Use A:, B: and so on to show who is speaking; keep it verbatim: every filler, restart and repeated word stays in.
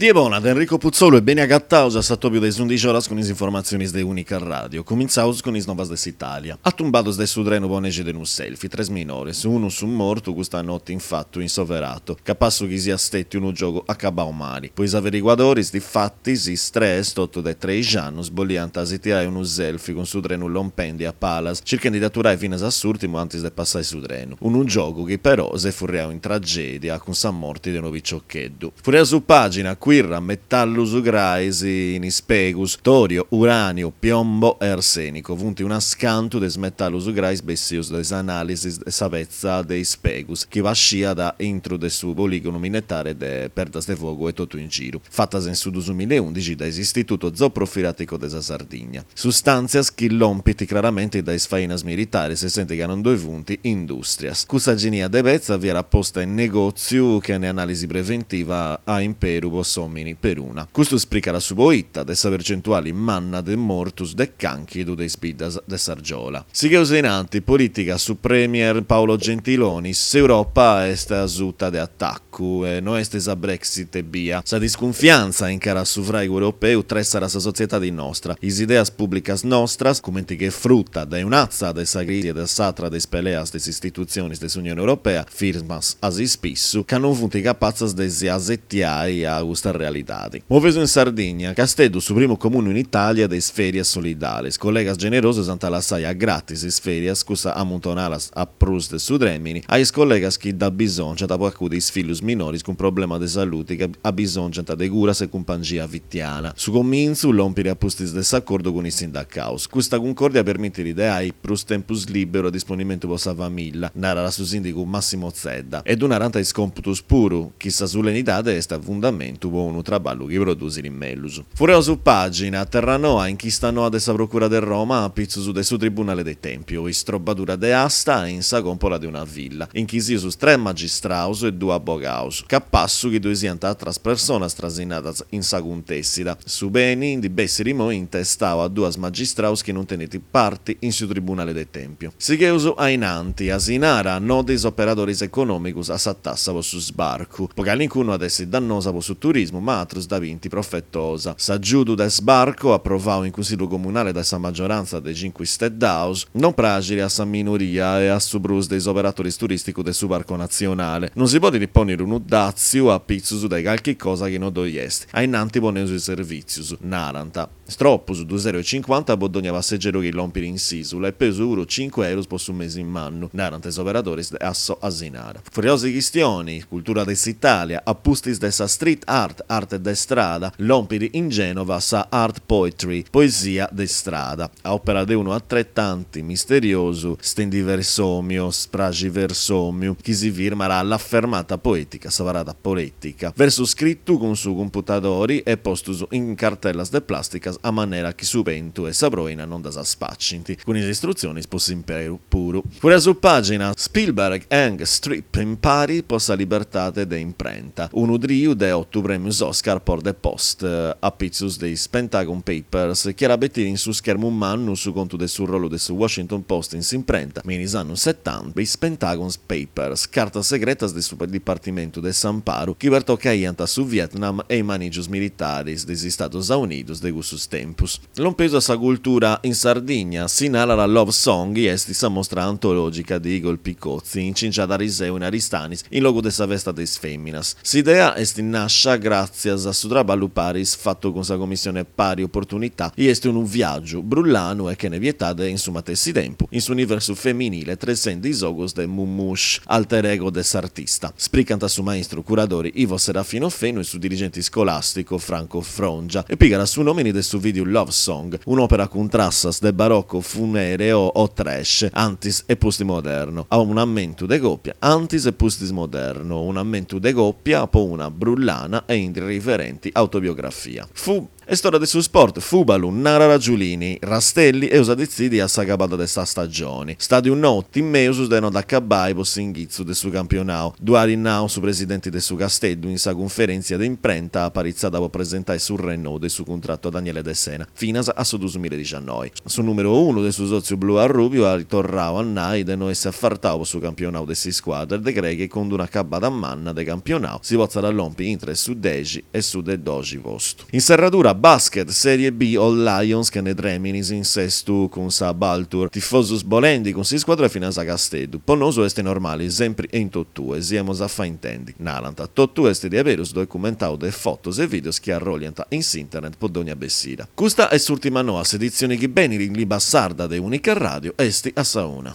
A: Die bona de Enrico Putzolu e beni agataus a s'atobiu de is undixi oras cun is informatzionis de Unica Radio. Cumintzaus cun is novas de s'Italia. Atumbados de su trenu po nexi de unu selfie, tres minores, unu su mortu custa noti in fatu in Soverato, capassu chi siat stètiu unu giogu acabau mali. Po is averiguadoris, difatis, is tres, totu de treixi annus, boliant si tirai unu selfie cun su trenu lompendi a palas, circhendi de aturai finas a s'ùrtimu antis de passai su trenu. Unu giogu chi però s'est furriau in tragèdia cun sa morti de unu piciocheddu. Furriaus pàgina, Quirra, metallus grais in is pegus, torio, uranio, piombo e arsenico funt unas cantu de is metallus grais bessius de is analisis de sa petza de is pegus chi pasciat intru de su poligonu minetare de Perdasdefogu e totu in giru, fatas in su duamilla e undixi dae s'Istituto Zooprofilattico de sa Sardigna. Sustàntzias chi lompint craramenti dae is fainas militaris, senti ca non ddoi funt indùstrias. Cussa genia de petza fiat posta in negòtziu chene anàlisi preventiva a imperu po s'òmini peruna. Custu spricat su poita de sa percentuali manna de mortus de cànchidu de is biddas de s'Argiola. Sigheus in anti, polìtica, su premier Paolo Gentiloni, s'Europa est a suta de atacu e no est sa Brexit ebbia. Sa discunfiantza in cara a su fràigu europeu tressat sa sotziedadi nostra, is ideas pùblicas nostras, cumenti che fruta de un'atza de sa crisi e de s'atra de is peleas de is istitutzionis de s'Unione Europea, firmas a s'ispissu, ca non funt capatzas de si asetiai a custa realidadi. Moveus in Sardigna, Casteddu, su primu comunu in Itàlia de is fèrias solidales. Collegas generosos ant a lassai a gratis is fèrias, cussas amuntonadas a prus de su trèmini, a is collegas chi dd'abisòngiant po acudi is fillus minoris cun problema de saludi chi abisòngiant de curas e cumpangia fitiana. Su comintzu lompit a pustis de s'acordu cun is sindacaus. Custa cuncòrdia permitit de ai prus tempus lìberu a disponimentu po sa famìllia, narat su sìndigu Massimo Zedda. E ddu narant is còmputus puru, chi sa sulenidade est a fundamentu po unu traballu chi produsit mellus. Furriaus pàgina, Terranoa, inchista noa de sa Procura de Roma a pitzus de su Tribunale de Tèmpiu, istrobbadura de asta in sa còmpola de una villa. Inchisius tres magistraus e duos abogaus. Capassu chi ddoi siant atras personas trasinadas in sa cuntèssida. Su beni ndi bessit imoi intestau a duas magistraus chi non tenint parti in su Tribunale de Tèmpiu. Sigheus a in anti, Asinara, no de is operadoris econòmicus a sa tassa po su sbarcu. Po calincunu at essi dannosa po su turismu, ma atrus dda bint profetosa. S'agiudu de sbarco, aprovau in Cunsillu Comunale dae sa magiorantza de Cincu Isteddaus, non praxit a sa minoria e a su prus de is operatoris turìsticus de su Parco Natzionale. Non si podit pònnere unu dàtziu a pitzus de carchi cosa chi non ddoi est. A innanti poneus is servìtzius, narant. Tropus, dus euro e cincuanta po dònnia passegeru chi lompit in s'ìsula e peus puru cincu euros po su mesi mannu, narant is operadores de Asso Asinara. Furriaus chistioni, cultura de s'Itàlia, a pustis de sa street art, arte de strada, lompit in Genova sa art poetry, poesia de strada, a òpera de unu atretanti misteriosu stendiversòmio, spraxiversòmiu, chi si firmat La fermata poetica, sa parada poètica. Versu scritu cun su computadori e postus in cartellas de plàsticas a manera chi su bentu e sa proina non ddas spacint, cun is istrutzionis po s'imperu puru. Furriaus pàgina, Spielberg, Eng, Streep impari po sa libertade de imprenta. Unu triu de otu prèmios Oscar por The Post, a pitzus de is Pentagon Papers, chi at a betire in su schermu mannu su contu de su rolu de su Washington Post in s'imprenta, me in is annos setanta, is Pentagon Papers, cartas segretas de su Dipartimentu de s'Amparu chi pertocaiant su Vietnam e is manìgios militares de is Istados Aunidos de cussus tempus. Lompeus a sa cultura in Sardigna, si narat Love Song est sa mostra antològica de Igor Picozzi, incingiada ariseu in Aristanis, in logu de sa festa de is fèminas. S'idea est nàscia gràtzias a su traballu paris fatu cun sa Commissione Pari Opportunità e est unu viàgiu brullanu e chene pietade in su matessi tempu, in s'universu feminile tressendi is ogus de Mummush, alter ego de s'artista. Spricant su maistru curadori Ivo Serafino Fenu e su dirigente iscolàstico Franco Frongia e pigat su nòmini de su video Love Song, un'òpera cun trassas de barocco funereo o trash, antis e pustis moderno, a un'ammentu de còpia, antis e pustis moderno, un'ammentu de còpia po una brullana e irriverenti autobiografia. Fu Est ora de su sport, Fùbalu, narat Giulini, Rastelli, Eus a detzidi a s'acabada de sa stagioni. Stàdiu nou, Timeus de no dd'acabbai po s'inghitzu de su campionau. Ddu at nau su presidenti de su Casteddu in sa cunferèntzia de imprenta aparitzada po presentai su rennou de su cuntratu a Daniele Dessena, finas a su duus milla e diciannoi. Su nùmeru unu de su sòtziu blu-arrùbiu at torrau a nai de no essi afartau po su campionau de s'iscuadra e de crei chi cun d'una acabada manna de campionau si potzat lompi intre su dexi e su de doxi postu. In serradura, basket, Serie B, Old Lions chene trèminis in Sestu cun sa Baltur. Tifosus bolendi cun s'iscuadra finas a Casteddu. Po nosu est normali, sempri e in totue, si emus a fai intendi. Narant. Totu est diaberus documentau de fotos e videos chi arrolliant in s'internet po dogna bessida. Custa est s'urtima noa, s'editzioni chi benit in limba sarda de Unica Radio est a sa una.